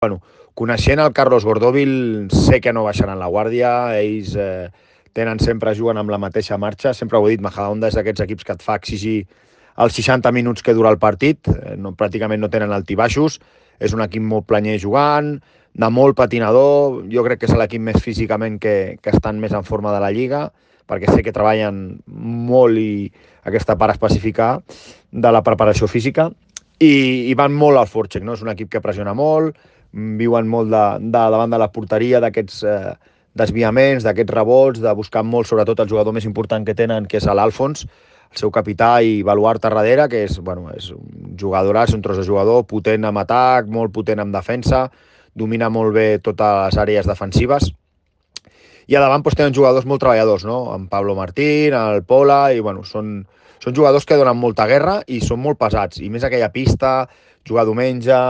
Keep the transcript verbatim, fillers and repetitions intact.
Bueno, coneixent el Carlos Gordóvil, sé que no baixaran la guàrdia, ells eh, tenen sempre, juguen amb la mateixa marxa, sempre ho he dit, Majadahonda és d'aquests equips que et fa exigir els seixanta minuts que dura el partit, eh, no, pràcticament no tenen altibaixos, és un equip molt planyer jugant, de molt patinador, jo crec que és l'equip més físicament que, que estan més en forma de la Lliga, perquè sé que treballen molt i aquesta part específica de la preparació física, i, i van molt al forecheck, no? És un equip que pressiona molt, viuen molt de, de davant de la porteria, d'aquests eh, desviaments, d'aquests rebots, de buscar molt, sobretot el jugador més important que tenen, que és l'Alfons, el seu capità i baluart a darrere, que és, bueno, és un jugadoràs, un tros de jugador, potent amb atac, molt potent amb defensa, domina molt bé totes les àrees defensives. I a davant doncs, tenen jugadors molt treballadors, no? En Pablo Martín, el Pola, i bueno, són, són jugadors que donen molta guerra i són molt pesats. I més aquella pista, jugar diumenge,